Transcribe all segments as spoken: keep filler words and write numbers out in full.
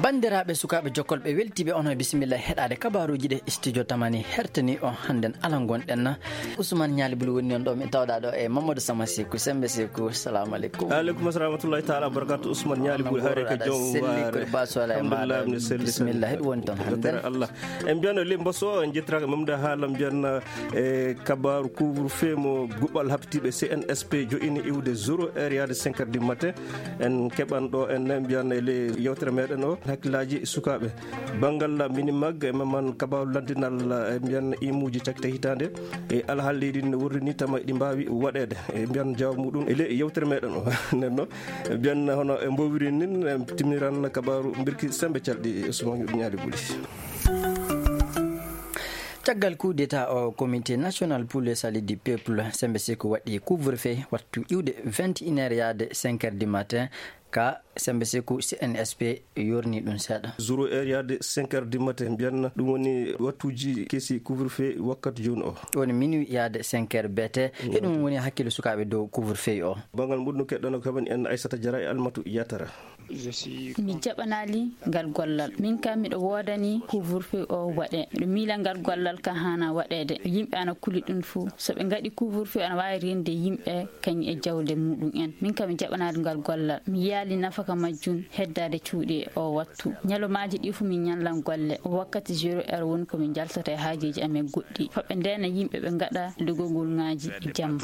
Banndiraaɓe, sukaaɓe jokkolɓe, weltiiɓe, on e bisimilla heɗaade kabaaruuji ɗe studio Tamani hertani o hannden. Ala ngonɗen na, Ousmane Ñaali Buli woni noon ɗo, min tawɗaa ɗo e Mamadou Sama Seku. Sembe Seku, salamu aleykum. Aleykum assalam wa rahmatullahi taala wa barakatuh. Ousmane Ñaali Buli, haare ka joom waare. Selli ko baso ala e maɗa. Alhamdulillah, mi selli. Bisimilla, heɗu woni toon hannden. Allah. En mbiyano le mboso, en jettiraaka Mamda Haala, mbiyan e kabaaru couvre-feu mo guɓal habtiiɓe C N S P jo'ini iwde zéro heure yaade cinq heures du matin. En keɓan ɗo en mbiyan e le yewtere meɗen o hakkillaaji sukaaɓe. Banngal Minimag, e mamman kabaaru lanndinal, e mbiyan imuuji cakkite hitaande. E alhaali leydi ne wurri ni tama ɗi mbaawi waɗeede. E mbiyan jawab muɗum e le yewtere meɗen o. Nden no, mbiyan hono e mbowiri nin, e timmiran kabaaru mbirki Sembe Calɗi, Ousmane Ñaali Buli. Caggal coup d'état o, Comité National pour le Salut du Peuple, Sembe Seku waɗi couvre-feu wattu iwde vingt et une heures yaade cinq heures du matin. Ka Sembe Seku, C N S P yorni ɗum seeɗa. Zéro heure yaade cinq heures du matin, mbiyan ɗum woni wattuuji kesi couvre-feu wakkati jooni o. Woni minuit yaade cinq heures B T. Heɗum woni hakkille sukaaɓe dow couvre-feu o. Banngal muɗum keɗɗono kaɓani en Aissata Diarra e Almatu Yatara. Mi jaɓanaali ngal gollal. Min kam miɗo woodani couvre-feu o waɗe. Miɗo miila ngal gollal ka haana waɗeede. Yimɓe ana kuli ɗum fuu. So ɓe ngaɗi couvre-feu ana waawi rende yimɓe kañum e jawle muɗum en. Min kam mi jaɓanaali ngal gollal. Mi yaali nafaka majjum heddaade cuuɗi e o wattu. Ñalawmaaji ɗi fuu min ñallan golle. Wakkati zéro heure woni ko min njaltata e haajeeji amen goɗɗi. Faa ɓe ndeena yimɓe ɓe ngaɗa dogogolŋaaji jamma.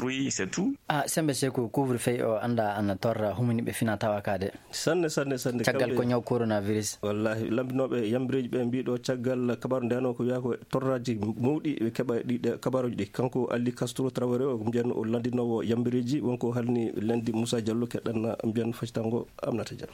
A, Sembe Seku, couvre-feu o annda ana torra humaniiɓe fina tawa ka de. Sanne, sanne, sanne. Caggal ko ñaw coronavirus. Wallahi, lanndinooɓe yambireeji ɓe mbii ɗo caggal kabaaru ndeno ko wiya ko torraaji mawɗi ɓe keɓa ɗi, ɗe kabaaruuji ɗi. Kanko Ali Castro Traoré o mbiyan o lanndinoowo yambireeji wonko halni Lendi Moussa Diallo keɗɗan mbiyan facitango Aminata Diallo.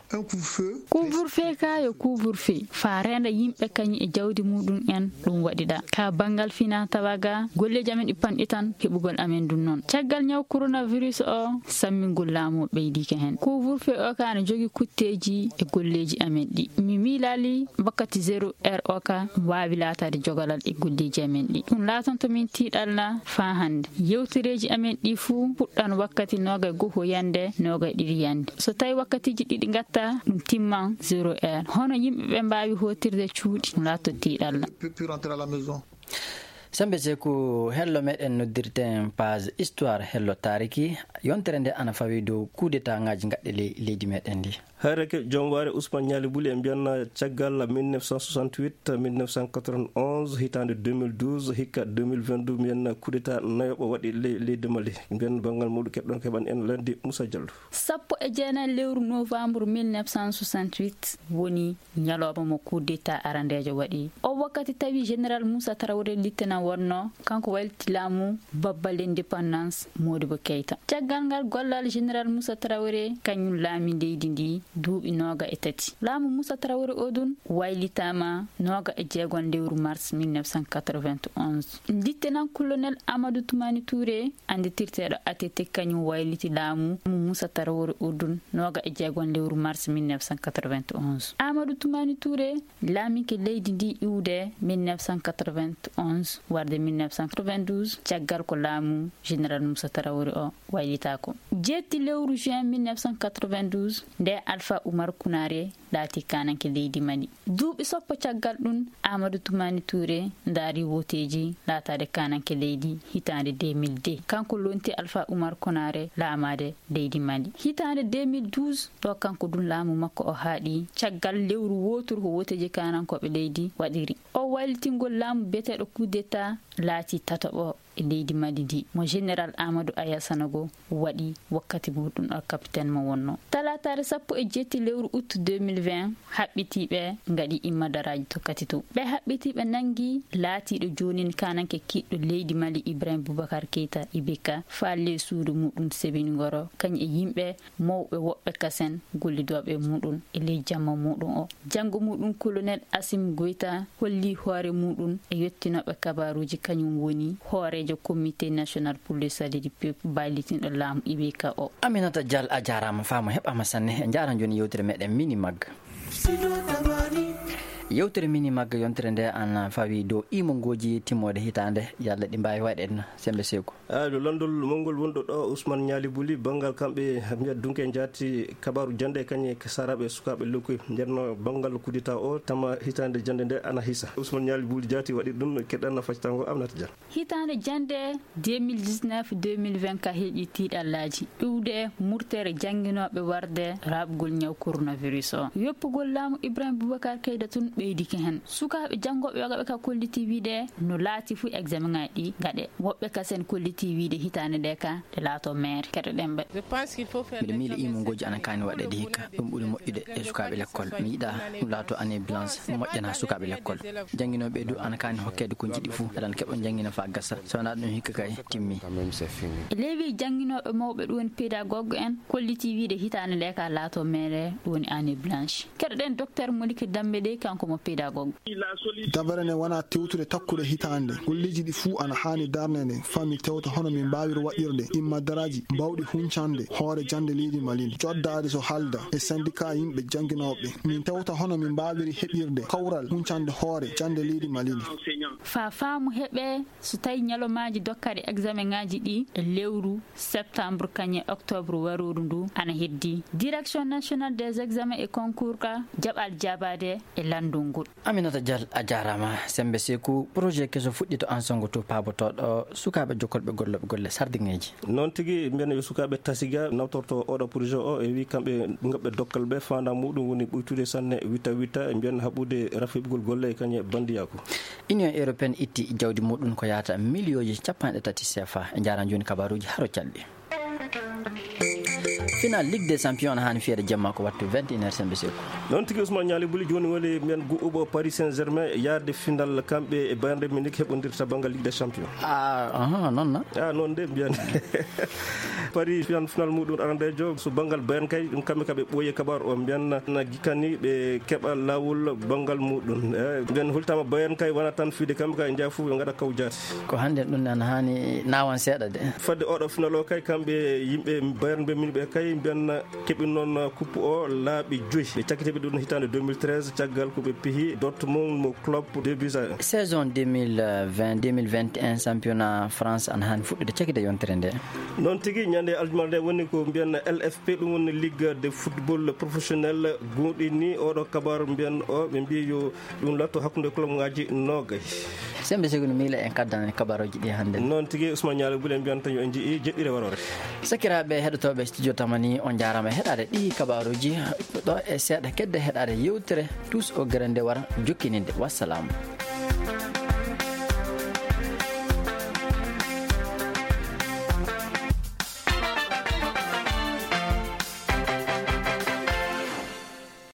Couvre-feu ka yo couvre-feu. Faa reenda yimɓe kañum e jawdi muɗum en ɗum waɗiɗa. Ka banngal fina tawa ga, golleeji amen ɗi panɗi tan, heɓugol amen ɗum noon. Caggal ñaw coronavirus o, sammingol laamu o ɓeydiike heen. Couvre-feu o ka ana jogii kutteeji e golleeji amen ɗi. Mi miilaali wakkati zéro heure o ka waawi laataade jogalal e golleeji amen ɗi. Ɗum laatanto min tiiɗalla faa hannde. Yewtereeji amen ɗi fuu puɗɗan wakkati noogay goho yande, noogay ɗiɗi yande. So tawi wakkatiiji ɗiɗi ngatta, ɗum timman zéro heure. Hono yimɓe ɓe mbaawi hootirde cuuɗi, ɗum laatto tiiɗalla. Sembe Seku, hello meɗen noddirten page Histoire, hello taariki. Yontere nde ana fawi dow coup d'état ŋaaji gaɗɗe ley-, leydi meɗen ndi. Hayreke joom waare Ousmane Ñaali Buli e mbiyanna caggal mille neuf cent soixante-huit, mille neuf cent quatre-vingt-onze, hitaande deux mille douze, hikka deux mille vingt-deux, mbiyanna coup d'état nayoɓo waɗi ley-, leydi Mali. Mbiyan banngal muɗum keɓɗon keɓan en Lendi Moussa Diallo. Sappo e jeenayi lewru novembre mille neuf cent soixante-huit woni ñalawma mo coup d'état arandeejo waɗi. O wakkati tawi Général Moussa Traoré Lieutenant wonno, kanko wayliti laamu babba l'indépendance Modibo Keita. Caggal ngal gollal Général Moussa Traoré, kañum laami leydi ndi duuɓi nooga e tati. Laamu Moussa Traoré o ɗun waylitaama nooga e jeegon lewru mars mille neuf cent quatre-vingt-onze. Lieutenant-colonel Amadou Toumani Touré, annditirteeɗo A T T, kañum wayliti laamu Moussa Traoré o ɗun nooga e jeegon lewru mars mille neuf cent quatre-vingt-onze. Amadou Toumani Touré laamike leydi ndi iwde mille neuf cent quatre-vingt-onze warde mille neuf cent quatre-vingt-douze, caggal ko laamu Général Moussa Traoré o waylitaako. Jeetti lewru juin mille neuf cent quatre-vingt-douze, nde Alpha Oumar Kounaré laati kaananke leydi Mali. Duuɓi sappo caggal ɗun, Amadou Toumani Touré ndaari wooteeji laataade kaananke leydi hitaande deux mille deux. Kanko lonti Alpha Oumar Kounaré laamaade leydi Mali. Hitaande deux mille douze, ɗo kanko ɗun laamu makko o haaɗi. Caggal lewru wooturu ko wooteeji kaanankooɓe leydi waɗiri. O waylitingol laamu biyeteeɗo coup d'état laati tataɓo e leydi Mali ndi, mo Général Amadou Aya Sanogo waɗi wakkati muɗum o capitaine mo wonno. Talaataare sappo e jeetti lewru août deux mille vingt, haɓɓitiiɓe ngaɗi immadaraaji tokkati to. Ɓe haɓɓitiiɓe nangi laatiiɗo joonin kaananke kiiɗɗo leydi Mali Ibrahim Boubacar Keita, I B K, faa ley suudu muɗum sebingoro, kañum e yimɓe mawɓe woɓɓe kasen gollidooɓe e muɗum e ley jamma muɗum o. Janngo muɗum, Colonel Assimi Goïta holli hoore muɗum e yottinooɓe kabaaruuji, kañum woni hooreejo Comité National pour le Salut du Peuple, baylitiiɗo laamu I B K o. Aminata Dial, a jaaraama, faama heɓaama sanne. En njaaran jooni yewtere meɗen Mini Mag. Yewtere mini magga yontere nde ana fawi dow imongooji timmoode hitaande, yalla ɗi mbaawi waɗeede na, Semmbe Seeku? Eyi, ɗo lanndol mawngol wonɗo ɗo, Ousmane Ñaali Buli, banngal kamɓe mbiyat dunke njaati kabaaru jannde kañe saraaɓe sukaaɓe lekkoy. Nden no banngal kudita o tama hitaande jannde nde ana hisa. Ousmane Ñaali Buli jaati waɗi ɗum, keɗɗan na faccataa ngo Aminata Dia. Hitaande jannde deux mille dix-neuf deux mille vingt ka heeƴi tiiɗallaaji iwde murtere jannginooɓe warde raaɓugol ñaw coronavirus o. Yoppugol laamu Ibrahim Boubacar Keïta tun ɓeydike hen. Sukaaɓe janngooɓe yogaɓe ka kolliti wiide no laati fu examen ŋaaji ɗi gaɗe. Woɓɓe kasen kolliti wiide hitaande nde ka ɗe laato meere. Keɗoɗen ɓe. Miɗo miila imongooji ana kaani waɗeede hikka. Ɗum ɓuri moƴƴude e sukaaɓe lekkol. Mi yiɗaa ɗum laato année blanche moƴƴana sukaaɓe lekkol. Jannginooɓe du ana kaani hokkeede ko njiɗi fuu, aɗan keɓa janngina faa gasa. So wanaa ɗum hikka kay timmi. E ley wii jannginooɓe mawɓe, ɗum woni pédagogue en, kolliti wiide hitaande nde ka laato meere, ɗum woni année blanche. Keɗoɗen Docteur Modibo Dambe dey, kanko mo pédagogue. Dabare nde wona tewtude takkude hitaande. Golleeji ɗi fuu ana haani darneede faa min tewta hono min mbaawiri waɗirde imma daraaji baawɗi huncande hoore jannde leydi Mali ndi. Coddaade so haalda e syndicat yimɓe jannginooɓe. Min tewta hono min mbaawiri heɓirde kawral huncande hoore jannde leydi Mali ndi. Faa faamu heɓee, so tawi ñalawmaaji dokkere examen ŋaaji ɗi e lewru septembre kañe octobre warooru ndu ana heddi, Direction Nationale des Examens et Concours ka jaɓal jaabaade e lanndol ngol. Aminata Dial, a jaaraama. Semmbe Seeku, projet keso fuɗɗi to Ansongo to paabotooɗo sukaaɓe jokkolɓe gollooɓe golle sardiŋeeji. Noon tigi, mbiyen yo sukaaɓe Tasiga nawtorto oɗo projet o, e wi kamɓe ngaɓɓe dokkal ɓe, faandaare muɗum woni ɓuytude sanne witta witta, mbiyen haɓude rafiɓgol golle e kañe bandiyaaku. Union Européenne itti jawdi muɗum ko yahata miliyooji cappanɗe tati C F A. En njaaraama jooni kabaaruuji haro calɗi. Final Ligue des Champions ana haani fiyeede jemma ko wattu vingt et une heures, Semmbe Seeku. Noon tigi, Ousmane Ñaali Buli, jooni woni mbiyen guɓɓuɓo Paris Saint-Germain yaade final kamɓe e Bayern Munich heɓondirta banngal Ligue des Champions. Ah, aha, noon na? Ah, noon de mbiyen. Paris final, final muɗum arandeejo, so banngal Bayern kay, ɗum kamɓe ka ɓe ɓooyi e kabaaru o, mbiyen na gikkani ɓe keɓa laawol banngal muɗum. Eh, mbiyen hultama Bayern kay wona tan fiide kamɓe kay njaha fof ɓe ngaɗa kawjaati. Ko hannde ɗum ne ana haani naawan seeɗa de. Fadde oɗo final o kay, kamɓe yimɓe Bayern ɓe min ɓe kay mbiyen keɓi noon kuppu o laaɓi joyi. Ɓe cakkiti ɓe ɗum hitaande deux mille treize, caggal ko ɓe pihi Dortmund mo Klopp deux buts à un. Saison deux mille vingt, deux mille vingt et un championnat France ana haani fuɗɗude cakite yontere nde. Noon tigi, ñande aljumala nde woni ko mbiyen L F P, ɗum woni Ligue de football professionnel, goonɗini oɗo kabaaru mbiyen o, ɓe mbiyi yo ɗum laatto hakkunde club ngaji noogay. Semmbe Seeku, no miila en kaddana en kabaaruuji ɗi hannde. Noon tigi, Ousmane Ñaali Buli, en mbiyan tan yo en njii jeɗɗire waroore. Sakiraaɓe heɗotooɓe Studio Tamani, on njaaraama e heɗaade ɗi kabaaruuji. Ɗo e seeɗa kedde heɗaade yewtere Tous au Grand nde wara jokkininde. Wassalam.